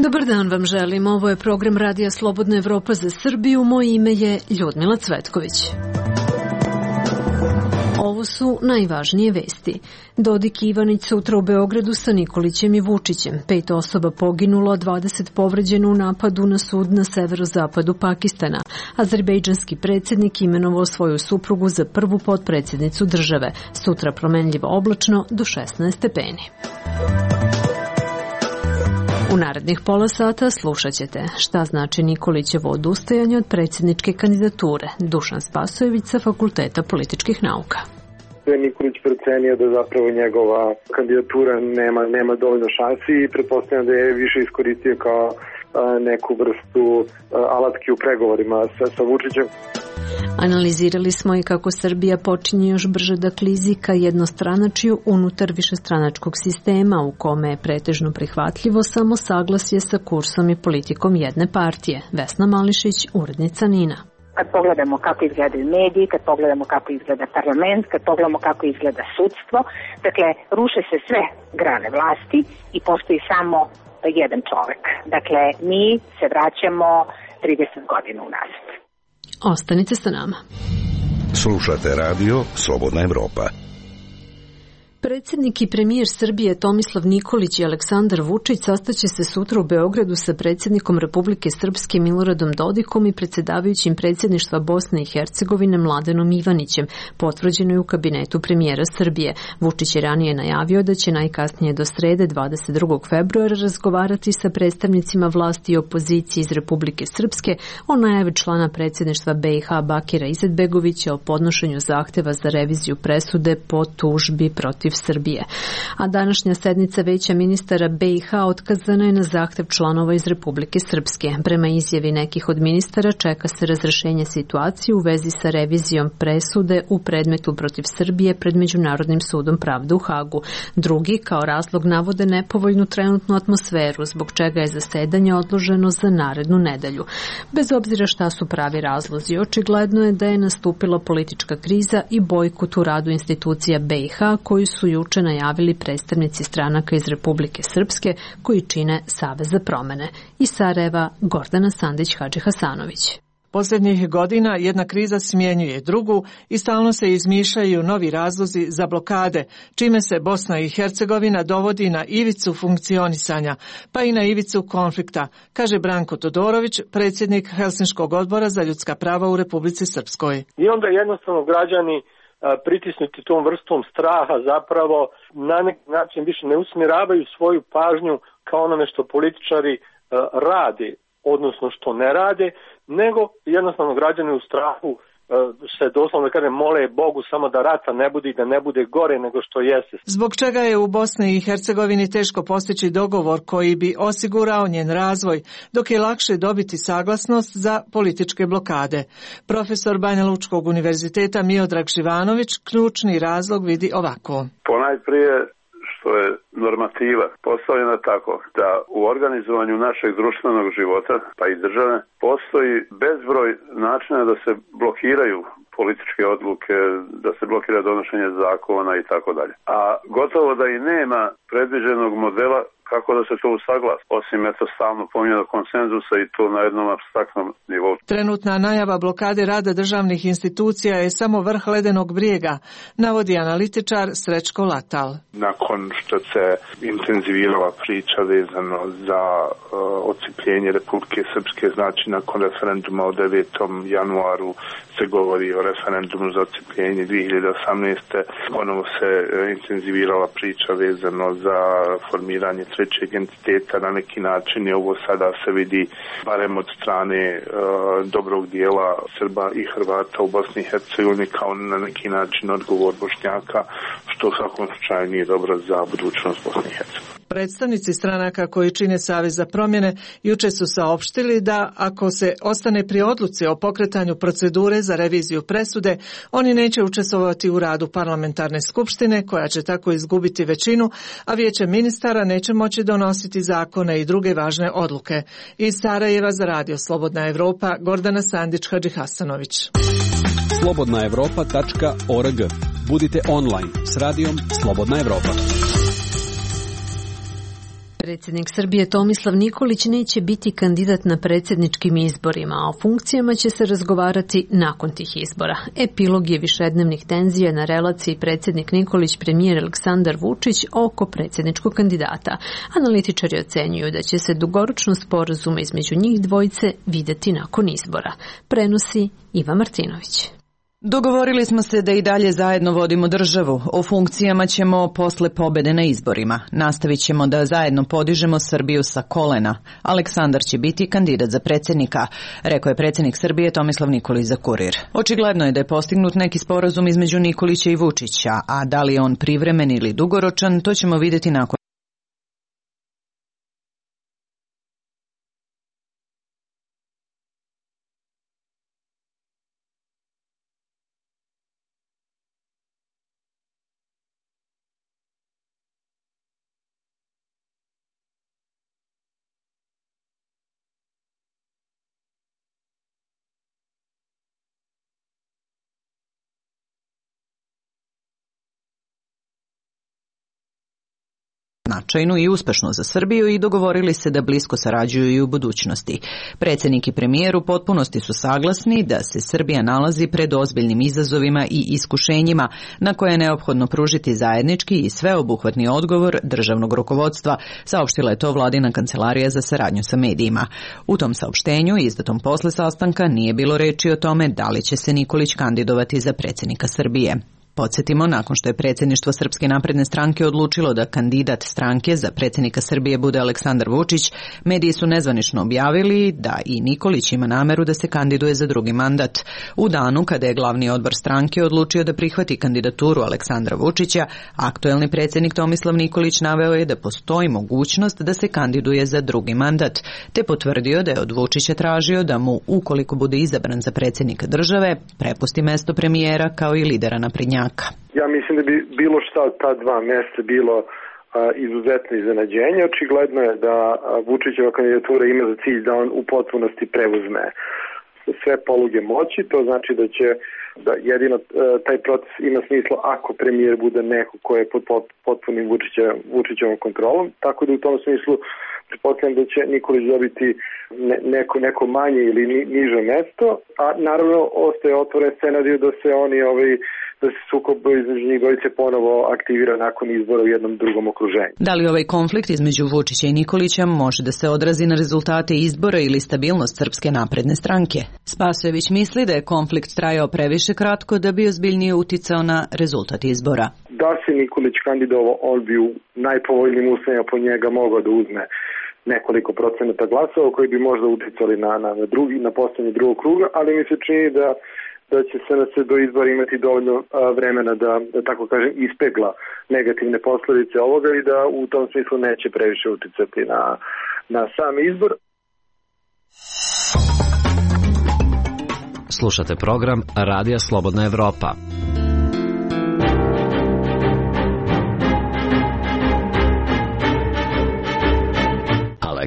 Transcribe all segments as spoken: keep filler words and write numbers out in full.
Dobar dan vam želim. Ovo je program Radija Slobodna Evropa za Srbiju. Moje ime je Ljudmila Cvetković. Ovo su najvažnije vesti. Dodik i Ivanić sutra u Beogradu sa Nikolićem i Vučićem. Pet osoba poginulo, a dvadeset povređeno u napadu na sud na severozapadu Pakistana. Azerbejdžanski predsjednik imenovao svoju suprugu za prvu potpredsjednicu države. Sutra promenljivo oblačno do šesnaest stepeni. U narednih pola sata slušat ćete šta znači Nikolićevo odustajanje od predsjedničke kandidature. Dušan Spasojević sa Fakulteta političkih nauka. Nikolić procenio da zapravo njegova kandidatura nema, nema dovoljno šansi i pretpostavljam da je više iskoristio kao a, neku vrstu a, alatke u pregovorima sa, sa Vučićem. Analizirali smo i kako Srbija počinje još brže da klizi ka jednostranačju unutar višestranačkog sistema u kome je pretežno prihvatljivo samo saglasje sa kursom i politikom jedne partije. Vesna Mališić, urednica Nina. Kad pogledamo kako izgledaju mediji, kad pogledamo kako izgleda parlament, kad pogledamo kako izgleda sudstvo, dakle, ruše se sve grane vlasti i postoji samo jedan čovek. Dakle, mi se vraćamo trideset godina unazad. Ostanite sa nama. Slušate radio Slobodna Evropa. Predsjednik i premijer Srbije Tomislav Nikolić i Aleksandar Vučić sastaće se sutra u Beogradu sa predsjednikom Republike Srpske Miloradom Dodikom i predsjedavajućim predsjedništva Bosne i Hercegovine Mladenom Ivanićem, potvrđeno je u kabinetu premijera Srbije. Vučić je ranije najavio da će najkasnije do srede dvadeset drugog februara razgovarati sa predstavnicima vlasti i opozicije iz Republike Srpske o najavi člana predsjedništva B i H Bakira Izetbegovića o podnošenju zahteva za reviziju presude po tužbi protiv Srbije. A današnja sednica Veća ministara B i H otkazana je na zahtev članova iz Republike Srpske. Prema izjavi nekih od ministara čeka se razrešenje situacije u vezi sa revizijom presude u predmetu protiv Srbije pred Međunarodnim sudom pravde u Hagu. Drugi kao razlog navode nepovoljnu trenutnu atmosferu, zbog čega je zasedanje odloženo za narednu nedelju. Bez obzira šta su pravi razlozi, očigledno je da je nastupila politička kriza i bojkot u radu institucija B i H koji su su juče najavili predstavnici stranaka iz Republike Srpske koji čine Savez za promene. Iz Sarajeva Gordana Sandić-Hadžihasanović. Posljednjih godina jedna kriza smjenjuje drugu i stalno se izmišljaju novi razlozi za blokade, čime se Bosna i Hercegovina dovodi na ivicu funkcionisanja, pa i na ivicu konflikta, kaže Branko Todorović, predsjednik Helsinškog odbora za ljudska prava u Republici Srpskoj. I onda jednostavno građani pritisnuti tom vrstom straha zapravo na neki način više ne usmjeravaju svoju pažnju kao onome što političari rade, odnosno što ne rade, nego jednostavno građani u strahu se doslovno da kažem mole Bogu samo da rata ne bude i da ne bude gore nego što jeste. Zbog čega je u Bosni i Hercegovini teško postići dogovor koji bi osigurao njen razvoj, dok je lakše dobiti saglasnost za političke blokade. Profesor Banja Lučkog univerziteta Miodrag Živanović ključni razlog vidi ovako. Ponajprije što je normativa postavljena tako da u organizovanju našeg društvenog života, pa i države, postoji bezbroj načina da se blokiraju političke odluke, da se blokira donošenje zakona i tako dalje. A gotovo da i nema predviđenog modela kako da se to usaglasi, osim eto stalno pominjanog konsenzusa i to na jednom apstraktnom nivou. Trenutna najava blokade rada državnih institucija je samo vrh ledenog brijega, navodi analitičar Srećko Latal. Nakon što se intenzivirala priča vezano za uh, odcijepljenje Republike Srpske, znači nakon referenduma od devetom januaru se govori o referendumu za odcijepljenje dvije hiljade osamnaeste. Ponovo se uh, intenzivirala priča vezano za formiranje trećeg entiteta, na neki način je ovo sada se vidi barem od strane e, dobrog dijela Srba i Hrvata u Bosni i Hercegovini kao na neki način odgovor Bošnjaka, što u svakom slučaju nije dobro za budućnost Bosne i Hercegovine. Predstavnici stranaka koji čine Savez za promjene juče su saopštili da ako se ostane pri odluci o pokretanju procedure za reviziju presude, oni neće učestvovati u radu parlamentarne skupštine koja će tako izgubiti većinu, a vijeće ministara neće moći donositi zakone i druge važne odluke. Iz Sarajeva za radio Slobodna Evropa, Gordana Sandić-Hadžihasanović. slobodna evropa tačka org. Budite online s radijom Slobodna Evropa. Predsjednik Srbije Tomislav Nikolić neće biti kandidat na predsjedničkim izborima, a o funkcijama će se razgovarati nakon tih izbora. Epilog je višednevnih tenzija na relaciji predsjednik Nikolić premijer Aleksandar Vučić oko predsjedničkog kandidata. Analitičari ocenjuju da će se dugoročnost sporazuma između njih dvojice videti nakon izbora. Prenosi Iva Martinović. Dogovorili smo se da i dalje zajedno vodimo državu. O funkcijama ćemo posle pobede na izborima. Nastavit ćemo da zajedno podižemo Srbiju sa kolena. Aleksandar će biti kandidat za predsjednika, rekao je predsjednik Srbije Tomislav Nikolić za Kurir. Očigledno je da je postignut neki sporazum između Nikolića i Vučića, a da li je on privremen ili dugoročan, to ćemo vidjeti nakon značajnu i uspešnu za Srbiju i dogovorili se da blisko sarađuju i u budućnosti. Predsjednik i premijer u potpunosti su saglasni da se Srbija nalazi pred ozbiljnim izazovima i iskušenjima na koje je neophodno pružiti zajednički i sveobuhvatni odgovor državnog rukovodstva, saopštila je to vladina kancelarija za saradnju sa medijima. U tom saopštenju, izdatom posle sastanka, nije bilo reči o tome da li će se Nikolić kandidovati za predsjednika Srbije. Podsjetimo, nakon što je predsjedništvo Srpske napredne stranke odlučilo da kandidat stranke za predsjednika Srbije bude Aleksandar Vučić, mediji su nezvanično objavili da i Nikolić ima nameru da se kandiduje za drugi mandat. U danu kada je glavni odbor stranke odlučio da prihvati kandidaturu Aleksandra Vučića, aktuelni predsjednik Tomislav Nikolić naveo je da postoji mogućnost da se kandiduje za drugi mandat, te potvrdio da je od Vučića tražio da mu, ukoliko bude izabran za predsjednika države, prepusti mesto premijera kao i lidera naprednjaka. Ja mislim da bi bilo šta od ta dva mjesta bilo a, izuzetno iznenađenje. Očigledno je da a, Vučićeva kandidatura ima za cilj da on u potpunosti preuzme sve poluge moći. To znači da će da jedino a, taj proces ima smisla ako premijer bude neko ko je pod potpunim Vučića, Vučićevom kontrolom. Tako da u tom smislu pretpostavljam da će Nikolić dobiti ne, neko, neko manje ili ni, niže mesto, a naravno ostaje otvoren scenarij da se oni ovaj da se sukob između njih dvojice ponovo aktivira nakon izbora u jednom drugom okruženju. Da li ovaj konflikt između Vučića i Nikolića može da se odrazi na rezultate izbora ili stabilnost Srpske napredne stranke? Spasojević misli da je konflikt trajao previše kratko da bi ozbiljnije uticao na rezultat izbora. Da se Nikolić kandidovao, on bi u najpovoljnijim uslovima po njega mogao da uzme nekoliko procenata glasova koji bi možda uticali na, na, na, drugi, na postavljanje drugog kruga, ali mi se čini da da će se, se do izbora imati dovoljno a, vremena da, da, tako kažem, ispegla negativne posljedice ovoga i da u tom smislu neće previše uticati na, na sam izbor. Slušate program Radija Slobodna Evropa.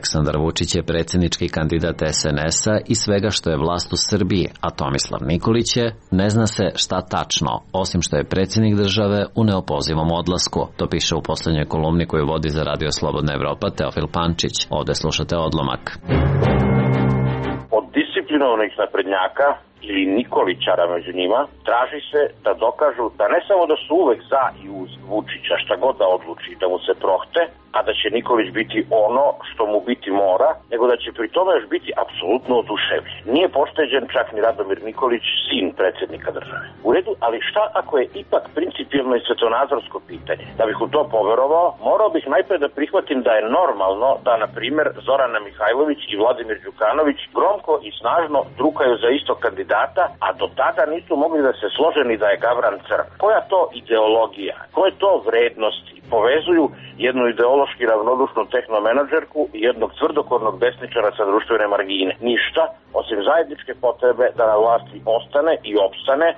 Aleksandar Vučić je predsjednički kandidat es en es-a i svega što je vlast u Srbiji, a Tomislav Nikolić je, ne zna se šta tačno, osim što je predsjednik države u neopozivom odlasku. To piše u posljednjoj kolumni koju vodi za Radio Slobodna Evropa Teofil Pančić. Ovdje slušate odlomak. Od disciplinovanih naprednjaka ili Nikolićara među njima, traži se da dokažu da ne samo da su uvek za i uz Vučića, šta god da odluči, da mu se prohte, a da će Nikolić biti ono što mu biti mora, nego da će pri tome još biti apsolutno oduševljen. Nije pošteđen čak ni Radomir Nikolić, sin predsjednika države. U redu, ali šta ako je ipak principijelno i svetonazorsko pitanje? Da bih u to poverovao, morao bih najpre da prihvatim da je normalno da, na primjer, Zorana Mihajlović i Vladimir Đukanović gromko i snažno drukaju za istog kandidata, a do tada nisu mogli da se slože ni da je Gavran Crn. Koja to ideologija, koje to vrednosti povezuju jednu ideološki ravnodušnu tehnomenadžerku i jednog tvrdokornog desničara sa društvene margine? Ništa, osim zajedničke potrebe da na vlasti ostane i opstane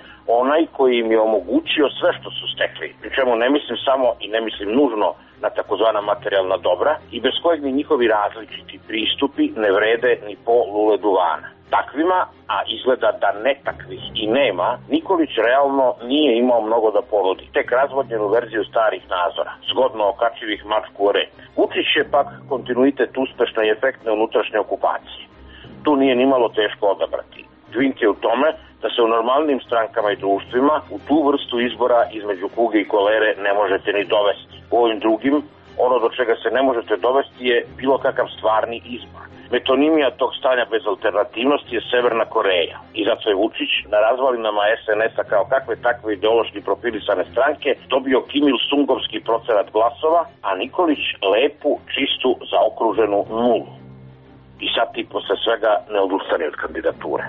onaj koji im je omogućio sve što su stekli. Pri čemu ne mislim samo i ne mislim nužno na takozvana materijalna dobra i bez kojeg ni njihovi različiti pristupi ne vrede ni po lule duvana. takvima, a izgleda da ne takvih i nema, Nikolić realno nije imao mnogo da ponudi. Tek razvodnjenu verziju starih nazora, zgodno okačivih mačku o rep. Vučić je pak kontinuitet uspešne i efektne unutrašnje okupacije. Tu nije nimalo teško odabrati. Dvink je u tome da se u normalnim strankama i društvima u tu vrstu izbora između kuge i kolere ne možete ni dovesti. U ovim drugim, ono do čega se ne možete dovesti je bilo kakav stvarni izbor. Metonimija tog stanja bez alternativnosti je Severna Koreja. I zato je Vučić na razvalinama es en es-a kao kakve takve ideološki profilisane stranke dobio Kim Il-sungovski procenat glasova, a Nikolić lepu, čistu, zaokruženu nulu. I sad ti posle svega ne odustane od kandidature.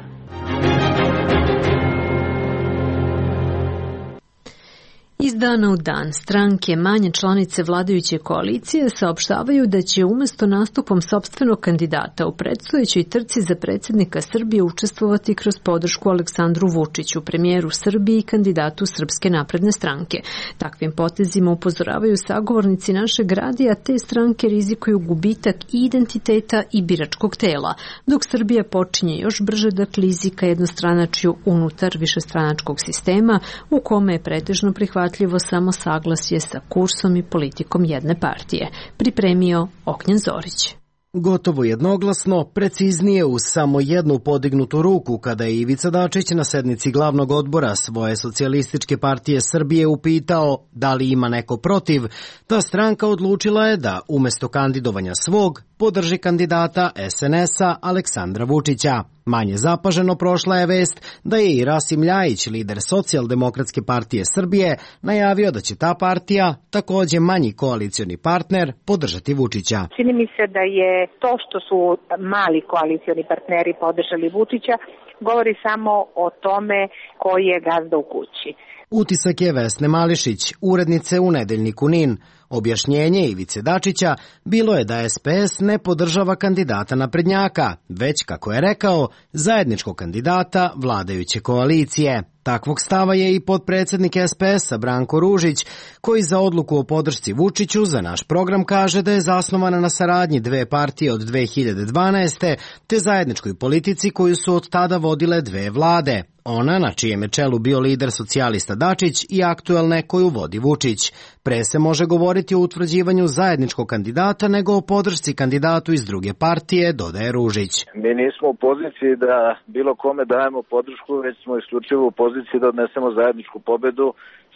Iz dana u dan stranke manje članice vladajuće koalicije saopštavaju da će umjesto nastupom sopstvenog kandidata u predstojećoj trci za predsjednika Srbije učestvovati kroz podršku Aleksandru Vučiću, premijeru Srbije i kandidatu Srpske napredne stranke. Takvim potezima upozoravaju sagovornici našeg radija, te stranke rizikuju gubitak i identiteta i biračkog tela, dok Srbija počinje još brže da klizi ka jednostranačju unutar višestranačkog sistema u kome je pretežno prihvatljivo samo saglasje sa kursom i politikom jedne partije. Pripremio Ognjen Zorić. Gotovo jednoglasno, preciznije uz samo jednu podignutu ruku kada je Ivica Dačić na sednici glavnog odbora svoje socijalističke partije Srbije upitao da li ima neko protiv, ta stranka odlučila je da umjesto kandidovanja svog podrži kandidata es en es-a Aleksandra Vučića. Manje zapaženo prošla je vest da je i Rasim Ljajić, lider Socijaldemokratske partije Srbije, najavio da će ta partija, također manji koalicioni partner, podržati Vučića. Čini mi se da je to što su mali koalicioni partneri podržali Vučića, govori samo o tome koji je gazda u kući. Utisak je Vesne Mališić, urednice u Nedeljniku NIN. Objašnjenje Ivice Dačića bilo je da es pe es ne podržava kandidata naprednjaka, već, kako je rekao, zajedničkog kandidata vladajuće koalicije. Takvog stava je i potpredsjednik es pe es-a Branko Ružić, koji za odluku o podršci Vučiću za naš program kaže da je zasnovana na saradnji dve partije od dve hiljade dvanaeste. te zajedničkoj politici koju su od tada vodile dve vlade. Ona, na čijem je čelu bio lider socijalista Dačić, i aktuelne koju vodi Vučić. Pre se može govoriti o utvrđivanju zajedničkog kandidata nego o podršci kandidatu iz druge partije, dodaje Ružić. Mi nismo u poziciji da bilo kome dajemo podršku, već smo isključivo u poziciji da odnesemo zajedničku pobedu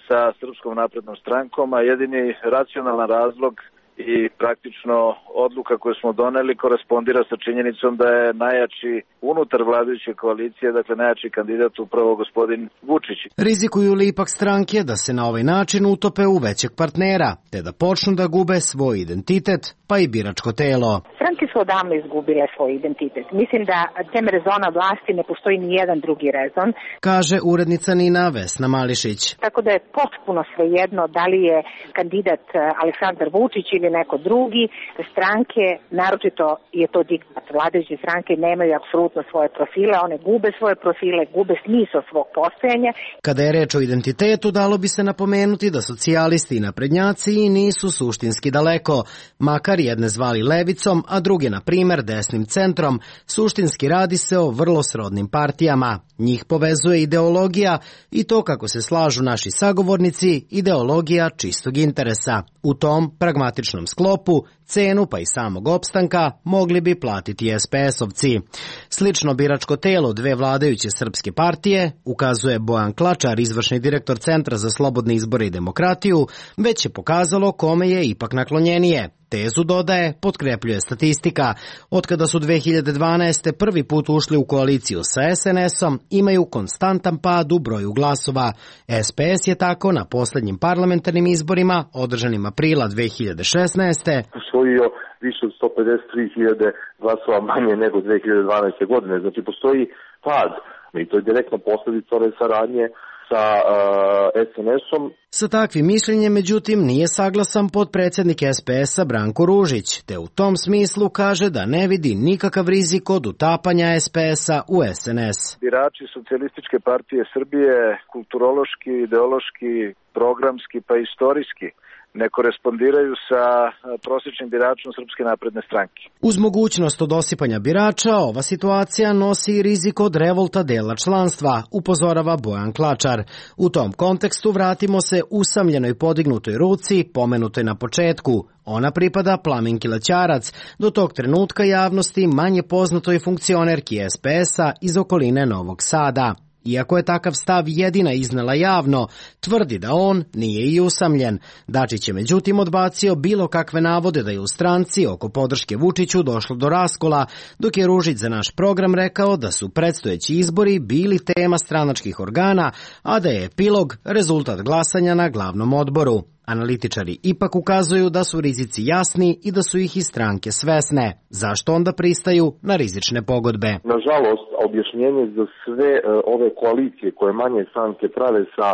sa Srpskom naprednom strankom, a jedini racionalan razlog i praktično odluka koju smo doneli korespondira sa činjenicom da je najjači unutar vladajuće koalicije, dakle najjači kandidat upravo gospodin Vučić. Rizikuju li ipak stranke da se na ovaj način utope u većeg partnera, te da počnu da gube svoj identitet, pa i biračko telo? Stranke su odavno izgubile svoj identitet. Mislim da tem rezona vlasti ne postoji ni jedan drugi rezon, kaže urednica NIN-a Vesna Mališić. Tako da je potpuno svejedno da li je kandidat Aleksandar Vučić ili neko drugi. Stranke, naročito je to diktat, vladajuće stranke nemaju apsolutno svoje profile, one gube svoje profile, gube smisao svog postojanja. Kada je reč o identitetu, dalo bi se napomenuti da socijalisti i naprednjaci i nisu suštinski daleko, makar jedne zvali levicom, a druge, na primer, desnim centrom. Suštinski radi se o vrlo srodnim partijama. Njih povezuje ideologija i to, kako se slažu naši sagovornici, ideologija čistog interesa. U tom pragmatičnom sklopu cenu pa i samog opstanka mogli bi platiti es pe es-ovci. Slično biračko telo dve vladajuće srpske partije, ukazuje Bojan Klačar, izvršni direktor Centra za slobodne izbore i demokratiju, već je pokazalo kome je ipak naklonjenije. Tezu, dodaje, potkrepljuje statistika. Otkada su dve hiljade dvanaeste. prvi put ušli u koaliciju sa es en es-om, imaju konstantan pad u broju glasova. es pe es je tako na posljednjim parlamentarnim izborima, održanim aprila dve hiljade šesnaeste. usvojio više od sto pedeset tri hiljade glasova manje nego dve hiljade dvanaeste. godine. Znači, postoji pad. I to je direktna posljedica ove saradnje sa uh, es en es-om. Sa takvim mišljenjem, međutim, nije saglasan potpredsjednik es pe es-a Branko Ružić, te u tom smislu kaže da ne vidi nikakav rizik od utapanja es pe es-a u es en es. Birači Socijalističke partije Srbije kulturološki, ideološki, programski pa istorijski ne korespondiraju sa prosječnim biračom Srpske napredne stranke. Uz mogućnost od osipanja birača, ova situacija nosi i rizik od revolta dela članstva, upozorava Bojan Klačar. U tom kontekstu vratimo se usamljenoj podignutoj ruci, pomenutoj na početku. Ona pripada Plaminki Lećarac, do tog trenutka javnosti manje poznatoj funkcionerki es pe es-a iz okoline Novog Sada. Iako je takav stav jedina iznela javno, tvrdi da on nije i usamljen. Dačić je međutim odbacio bilo kakve navode da je u stranci oko podrške Vučiću došlo do raskola, dok je Ružić za naš program rekao da su predstojeći izbori bili tema stranačkih organa, a da je epilog rezultat glasanja na glavnom odboru. Analitičari ipak ukazuju da su rizici jasni i da su ih i stranke svesne. Zašto onda pristaju na rizične pogodbe? Nažalost, objašnjenje za sve ove koalicije koje manje stranke prave sa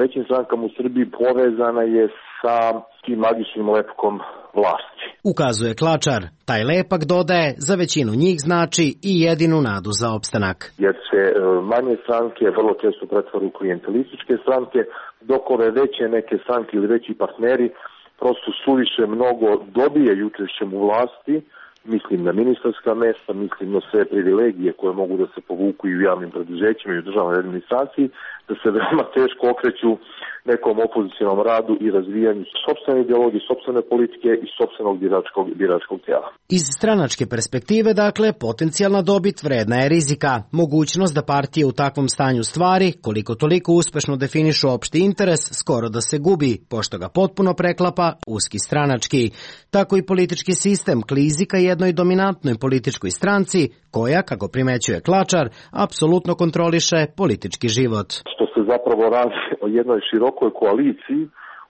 većim strankama u Srbiji povezana je sa tim magičnim lepkom vlasti. Ukazuje Klačar. Taj lepak, dodaje, za većinu njih znači i jedinu nadu za opstanak. Jer se manje stranke vrlo često pretvaru u klijentelističke stranke, dok ove veće neke stranke ili veći partneri prosto suviše mnogo dobijaju učešćem u vlasti, mislim na ministarska mesta, mislim na sve privilegije koje mogu da se povuku i u javnim preduzećima i u državnoj administraciji, da se veoma teško okreću nekom opozicionom radu i razvijanju sopstvene ideologije, sopstvene politike i sopstvenog biračkog, biračkog tijela. Iz stranačke perspektive, dakle, potencijalna dobit vredna je rizika. Mogućnost da partije u takvom stanju stvari, koliko toliko uspešno definišu opšti interes, skoro da se gubi, pošto ga potpuno preklapa uski stranački. Tako i politički sistem klizi ka jednoj dominantnoj političkoj stranci, koja, kako primećuje Klačar, apsolutno kontroliše politički život. Što se zapravo radi o jednoj širokoj koaliciji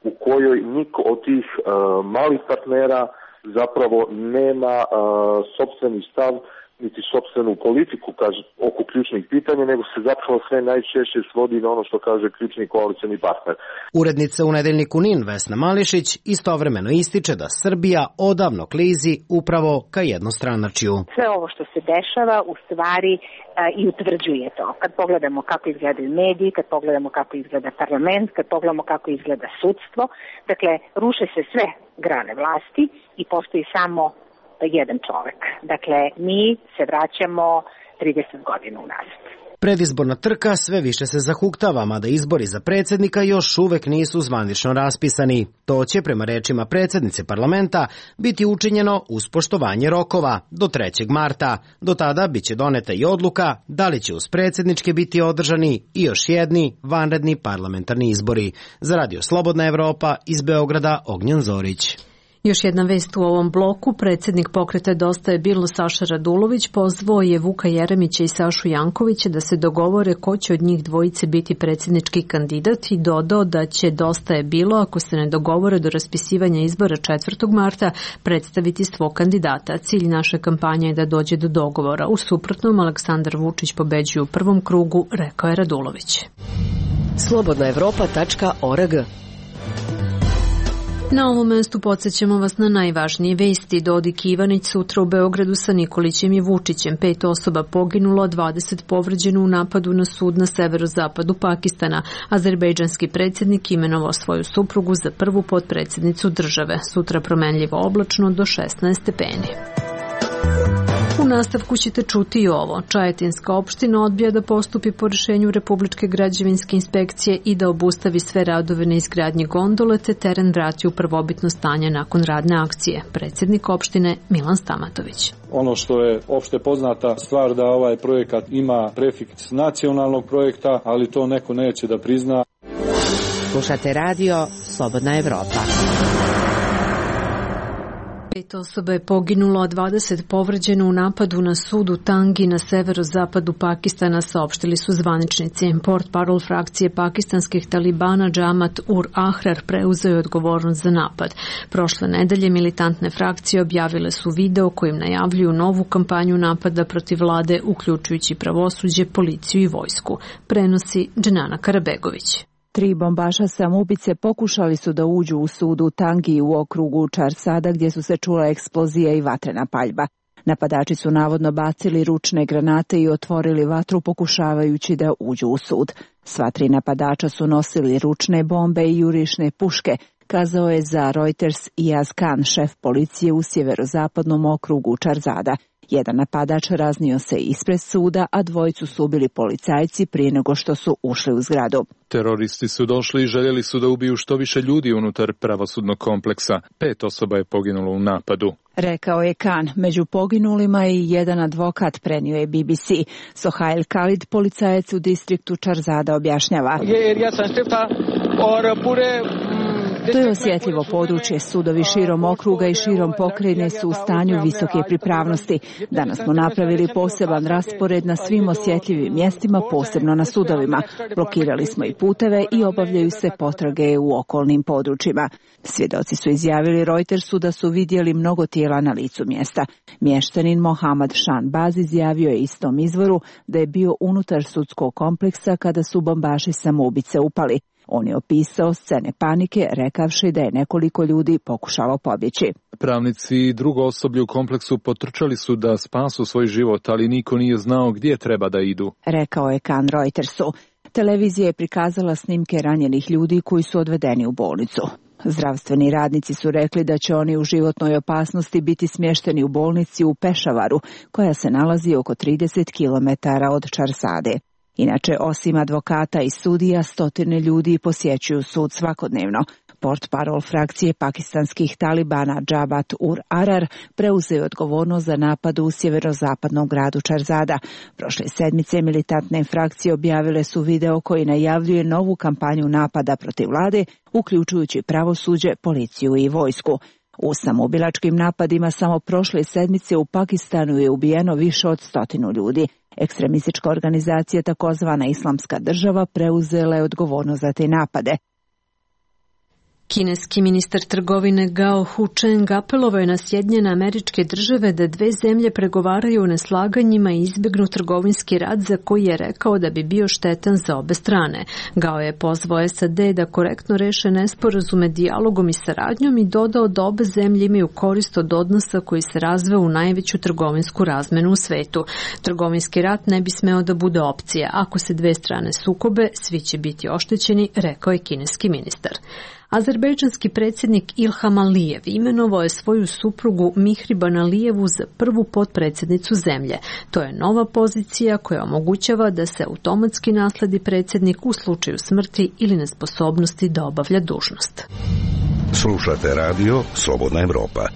u kojoj niko od tih uh, malih partnera zapravo nema uh, sopstveni stav niti sopstvenu politiku kaže, oko ključnih pitanja, nego se zapravo sve najčešće svodi na ono što kaže ključni koalicioni partner. Urednica u nedeljniku N I N Vesna Mališić istovremeno ističe da Srbija odavno klizi upravo ka jednostranačju. Sve ovo što se dešava u stvari i utvrđuje to. Kad pogledamo kako izgledaju mediji, kad pogledamo kako izgleda parlament, kad pogledamo kako izgleda sudstvo, dakle, ruše se sve grane vlasti i postoji samo jedan čovek. Dakle, mi se vraćamo trideset godina unazad. Predizborna trka sve više se zahuktava, mada izbori za predsjednika još uvek nisu zvanično raspisani. To će, prema rečima predsjednice parlamenta, biti učinjeno uz poštovanje rokova do trećeg marta. Do tada biće doneta i odluka da li će uz predsjedničke biti održani i još jedni vanredni parlamentarni izbori. Za Radio Slobodna Evropa iz Beograda, Ognjen Zorić. Još jedna vest u ovom bloku. Predsjednik Pokreta Dosta je bilo Saša Radulović pozvao je Vuka Jeremića i Sašu Jankovića da se dogovore ko će od njih dvojice biti predsjednički kandidat i dodao da će Dosta je bilo, ako se ne dogovore do raspisivanja izbora četvrtog marta, predstaviti svog kandidata. Cilj naše kampanje je da dođe do dogovora. U suprotnom, Aleksandar Vučić pobeđuje u prvom krugu, rekao je Radulović. slobodna evropa tačka org. Na ovom mestu podsjećamo vas na najvažnije vesti. Dodik Ivanić sutra u Beogradu sa Nikolićem i Vučićem. Pet osoba poginulo, dvadeset povređeno u napadu na sud na severozapadu Pakistana. Azerbejdžanski predsjednik imenovao svoju suprugu za prvu potpredsjednicu države. Sutra promenljivo oblačno do šesnaest stepeni. U nastavku ćete čuti i ovo. Čajetinska opština odbija da postupi po rješenju Republičke građevinske inspekcije i da obustavi sve radove na izgradnji gondole te teren vrati u prvobitno stanje nakon radne akcije. Predsjednik opštine Milan Stamatović. Ono što je opšte poznata stvar da ovaj projekat ima prefiks nacionalnog projekta, ali to neko neće da prizna. Slušate radio Slobodna Evropa. Pet osoba je poginulo, a dvadeset povređeno u napadu na sud u Tangi na severozapadu Pakistana, saopštili su zvaničnici. Portparol frakcije pakistanskih talibana Džamat ur Ahrar preuzeo je odgovornost za napad. Prošle nedelje militantne frakcije objavile su video kojim najavljuju novu kampanju napada protiv vlade, uključujući pravosuđe, policiju i vojsku. Prenosi Dženana Karabegović. Tri bombaša samoubice pokušali su da uđu u sud u Tangi u okrugu Čarsada gdje su se čula eksplozija i vatrena paljba. Napadači su navodno bacili ručne granate i otvorili vatru pokušavajući da uđu u sud. Sva tri napadača su nosili ručne bombe i jurišne puške. kazao je za Reuters Iyaz Khan, šef policije u sjeverozapadnom okrugu Čarzada. Jedan napadač raznio se ispred suda, a dvojicu su ubili policajci prije nego što su ušli u zgradu. Teroristi su došli i željeli su da ubiju što više ljudi unutar pravosudnog kompleksa. Pet osoba je poginulo u napadu. Rekao je Khan. Među poginulima i jedan advokat, prenio je B B C. Sohail Khalid, policajac u distriktu Čarzada, objašnjava. To je osjetljivo područje. Sudovi širom okruga i širom pokrajine su u stanju visoke pripravnosti. Danas smo napravili poseban raspored na svim osjetljivim mjestima, posebno na sudovima. Blokirali smo i puteve i obavljaju se potrage u okolnim područjima. Svjedoci su izjavili Reutersu da su vidjeli mnogo tijela na licu mjesta. Mještanin Mohammad Shanbaz izjavio je istom izvoru da je bio unutar sudskog kompleksa kada su bombaši samoubice upali. On je opisao scene panike, rekavši da je nekoliko ljudi pokušalo pobjeći. Pravnici i drugo osoblje u kompleksu potrčali su da spasu svoj život, ali niko nije znao gdje treba da idu. Rekao je Khan Reutersu. Televizija je prikazala snimke ranjenih ljudi koji su odvedeni u bolnicu. Zdravstveni radnici su rekli da će oni u životnoj opasnosti biti smješteni u bolnici u Pešavaru, koja se nalazi oko trideset kilometara od Čarsade. Inače, osim advokata i sudija, stotine ljudi posjećuju sud svakodnevno. Portparol frakcije pakistanskih talibana Jabhat ul Ahrar preuzeo je odgovornost za napad u sjeverozapadnom gradu Čarzada. Prošle sedmice militantne frakcije objavile su video koji najavljuje novu kampanju napada protiv vlade, uključujući pravosuđe, policiju i vojsku. U samoubilačkim napadima samo prošle sedmice u Pakistanu je ubijeno više od stotinu ljudi. Ekstremistička organizacija takozvana Islamska država preuzela je odgovornost za te napade. Kineski ministar trgovine Gao Hucheng apelovao je na Sjedinjene Američke Države da dve zemlje pregovaraju o neslaganjima i izbjegnu trgovinski rat za koji je rekao da bi bio štetan za obe strane. Gao je pozvao S A D da korektno reše nesporazume dijalogom i saradnjom i dodao da obe zemlje imaju korist od odnosa koji se razveo u najveću trgovinsku razmenu u svetu. Trgovinski rat ne bi smeo da bude opcija. Ako se dve strane sukobe, svi će biti oštećeni, rekao je kineski ministar. Azerbejdžanski predsjednik Ilham Alijev imenovao je svoju suprugu Mihriban Alijevu za prvu potpredsjednicu zemlje. To je nova pozicija koja omogućava da se automatski nasledi predsjednik u slučaju smrti ili nesposobnosti da obavlja dužnost. Slušate radio Slobodna Evropa.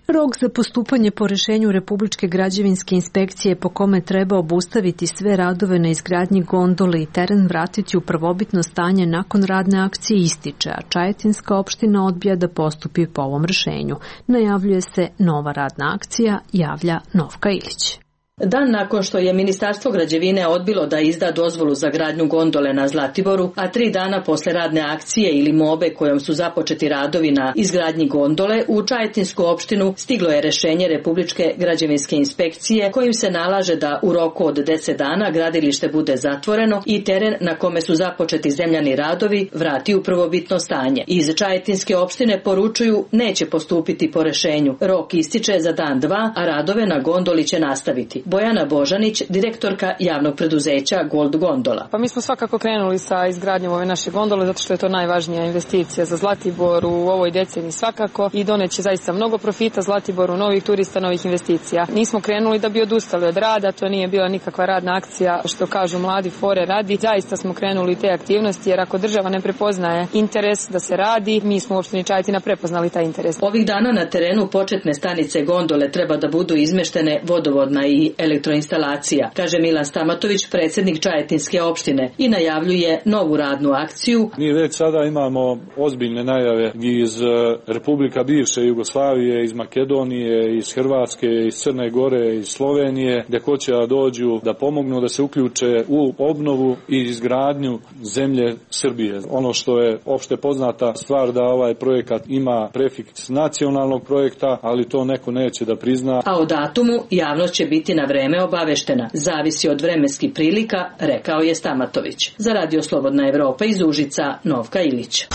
Rok za postupanje po rješenju Republičke građevinske inspekcije po kome treba obustaviti sve radove na izgradnji gondole i teren vratiti u prvobitno stanje nakon radne akcije ističe, a Čajetinska opština odbija da postupi po ovom rješenju. Najavljuje se nova radna akcija, javlja Novka Ilić. Dan nakon što je Ministarstvo građevine odbilo da izda dozvolu za gradnju gondole na Zlatiboru, a tri dana posle radne akcije ili mobe kojom su započeti radovi na izgradnji gondole, u Čajetinsku opštinu stiglo je rješenje Republičke građevinske inspekcije kojim se nalaže da u roku od deset dana gradilište bude zatvoreno i teren na kome su započeti zemljani radovi vrati u prvobitno stanje. Iz Čajetinske opštine poručuju neće postupiti po rješenju. Rok ističe za dan dva, a radove na gondoli će nastaviti. Bojana Božanić, direktorka javnog preduzeća Gold Gondola. Pa mi smo svakako krenuli sa izgradnjom ove naše gondole zato što je to najvažnija investicija za Zlatibor u ovoj deceniji svakako i doneće zaista mnogo profita Zlatiboru, novih turista, novih investicija. Nismo krenuli da bi odustali od rada, to nije bila nikakva radna akcija, što kažu mladi fore radi. Zaista smo krenuli te aktivnosti jer ako država ne prepoznaje interes da se radi, mi smo u opštini Čajetina prepoznali taj interes. Ovih dana na terenu početne stanice gondole treba da budu izmeštene vodovodna i elektroinstalacija, kaže Milan Stamatović, predsjednik Čajetinske opštine, i najavljuje novu radnu akciju. Mi već sada imamo ozbiljne najave iz Republika bivše Jugoslavije, iz Makedonije, iz Hrvatske, iz Crne Gore, iz Slovenije, gdje hoće da dođu da pomognu da se uključe u obnovu i izgradnju zemlje Srbije. Ono što je opšte poznata stvar da ovaj projekat ima prefiks nacionalnog projekta, ali to neko neće da prizna. A o datumu javnost će biti na vreme obaveštena. Zavisi od vremenskih prilika, rekao je Stamatović. Za Radio Slobodna Evropa iz Užica, Novka Ilić.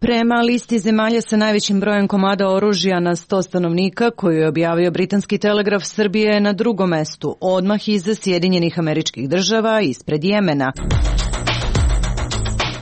Prema listi zemalja sa najvećim brojem komada oružja na sto stanovnika koju je objavio britanski telegraf, Srbija je na drugom mestu, odmah iza Sjedinjenih Američkih Država, ispred Jemena.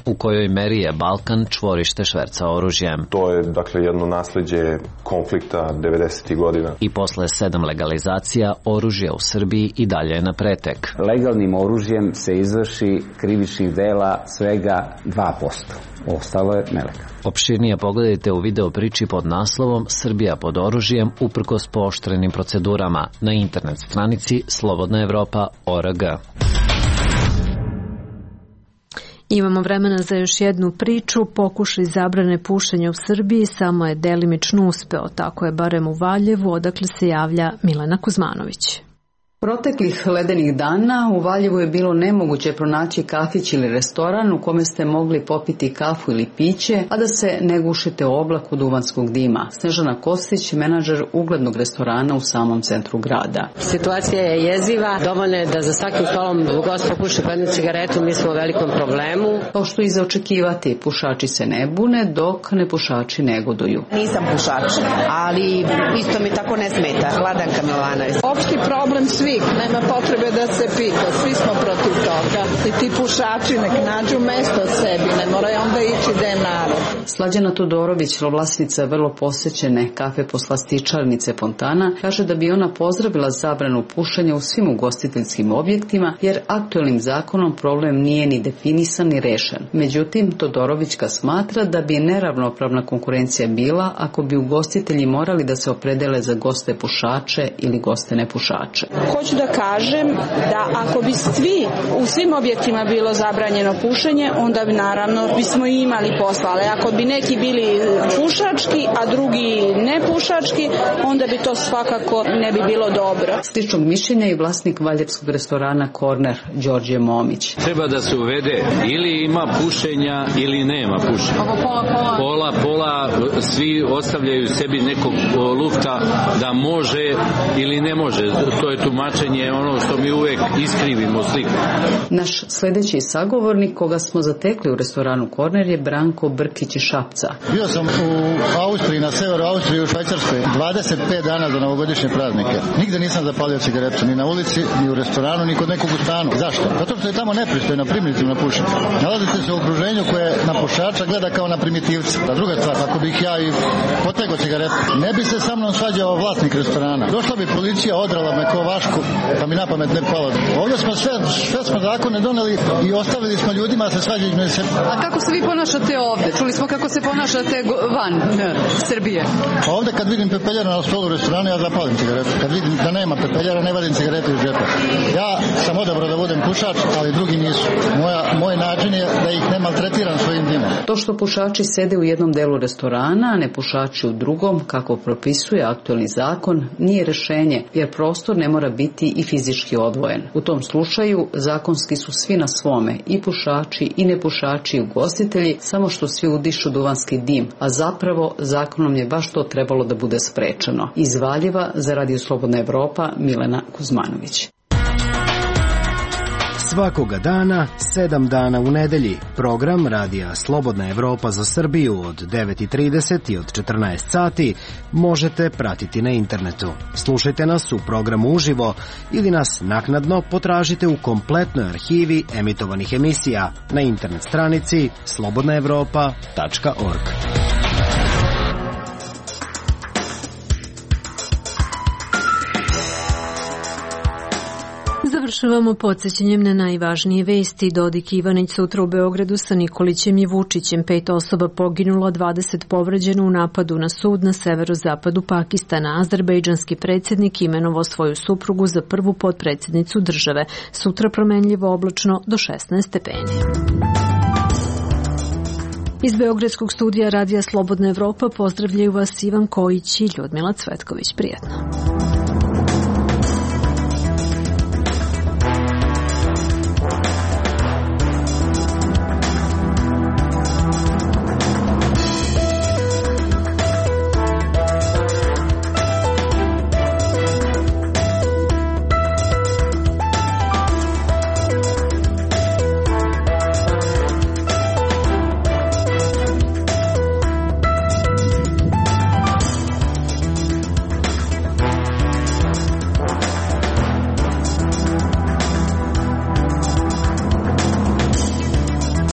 U kojoj meri je Balkan čvorište šverca oružjem. To je dakle jedno nasleđe konflikta devedesetih godina. I posle sedam legalizacija oružja u Srbiji i dalje je na pretek. Legalnim oružjem se izvrši krivičnih dela svega dva posto. Ostalo je nelegalno. Opširnije pogledajte u video priči pod naslovom Srbija pod oružjem uprkos pooštrenim procedurama na internet stranici slobodna evropa tačka org. Imamo vremena za još jednu priču. Pokušaj zabrane pušenja u Srbiji samo je delimično uspeo, tako je barem u Valjevu, odakle se javlja Milena Kuzmanović. Proteklih ledenih dana u Valjevu je bilo nemoguće pronaći kafić ili restoran u kome ste mogli popiti kafu ili piće, a da se ne gušite u oblaku duvanskog dima. Snežana Kostić, menadžer uglednog restorana u samom centru grada. Situacija je jeziva, dovoljno je da za svakim stolom gost popuši po jednu cigaretu, mi smo u velikom problemu. Kao što i za očekivati, pušači se ne bune, dok nepušači negoduju. Nisam pušač, ali isto mi tako ne smeta. Vladanka Milanović. Opšti problem svi. Nema potrebe da se pita, svi smo protiv toga. I ti pušači nek nađu mesto sebi, ne moraju onda ići gde je narod. Slađana Todorović, vlasnica vrlo posećene kafe poslastičarnice Fontana, kaže da bi ona pozdravila zabranu pušenja u svim ugostiteljskim objektima, jer aktuelnim zakonom problem nije ni definisan ni rešen. Međutim, Todorovićka smatra da bi neravnopravna konkurencija bila ako bi ugostitelji morali da se opredele za goste pušače ili goste nepušače. Hoću da kažem da ako bi svi u svim objektima bilo zabranjeno pušenje, onda bi naravno bismo i imali posla, ali ako bi neki bili pušački, a drugi nepušački, onda bi to svakako ne bi bilo dobro. Sličnog mišljenja i vlasnik valjevskog restorana Korner, Đorđe Momić. Treba da se uvede ili ima pušenja ili nema pušenja. Ovo pola, pola. Pola, pola, svi ostavljaju sebi nekog lufta da može ili ne može. To je tumačenje ono što mi uvek iskrivimo sliku. Naš sledeći sagovornik koga smo zatekli u restoranu Korner je Branko Brkić iz Šapca. Bio sam u Austriji, na severu Austrije, u Švajcarskoj, dvadeset pet dana za novogodišnje praznike. Nigde nisam zapalio cigaretu, ni na ulici, ni u restoranu, ni kod nekog u stanu. Zašto? Zato što je tamo nepristojno, primitivno pušenje. Nalazite se u okruženju koje na pušača gleda kao na primitivca. A druga stvar, ako bih ja i potegao cigaretu, ne bi se sa mnom svađao vlasnik restorana. Došla bi policija, odrala me ko vašku, pa mi na pamet ne palo. Ovdje smo sve, sve smo zakone doneli i ostavili smo ljudima da se svađaju između sebe. A kako se vi ponašate ovdje? Čuli smo kako se ponašate van ne, Srbije. Pa ovdje kad vidim pepeljara na stolu u restoranu, ja zapalim cigaretu. Kad vidim da nema pepeljara, ne vadim cigaretu iz džepa. Ja sam odabrao da budem pušač, ali drugi nisu. Moja, moj način je da ih ne maltretiram svojim dimom. To što pušači sede u jednom delu restorana, a ne pušači u drugom, kako propisuje aktuelni zakon, nije rešenje, jer prostor ne mora biti i fizički odvojen. U tom slučaju zakonski su svi na svome, i pušači i nepušači i ugostitelji, samo što svi udišu duvanski dim, a zapravo zakonom je baš to trebalo da bude sprečeno. Iz Valjeva za Radio Slobodna Evropa, Milena Kuzmanović. Svakoga dana, sedam dana u nedelji, program Radija Slobodna Evropa za Srbiju od devet i trideset i od četrnaest sati možete pratiti na internetu. Slušajte nas u programu uživo ili nas naknadno potražite u kompletnoj arhivi emitovanih emisija na internet stranici slobodna evropa tačka org. Završavamo podsjećanjem na najvažnije vesti. Dodik i Ivanić sutra u Beogradu sa Nikolićem i Vučićem. Pet osoba poginulo, dvadeset povređeno u napadu na sud na severozapadu Pakistana. Azerbejdžanski predsjednik imenovao svoju suprugu za prvu potpredsjednicu države. Sutra promenljivo oblačno do šesnaest stepeni. Iz Beogradskog studija Radija Slobodna Evropa pozdravljaju vas Ivan Kojić i Ljudmila Cvetković. Prijetno.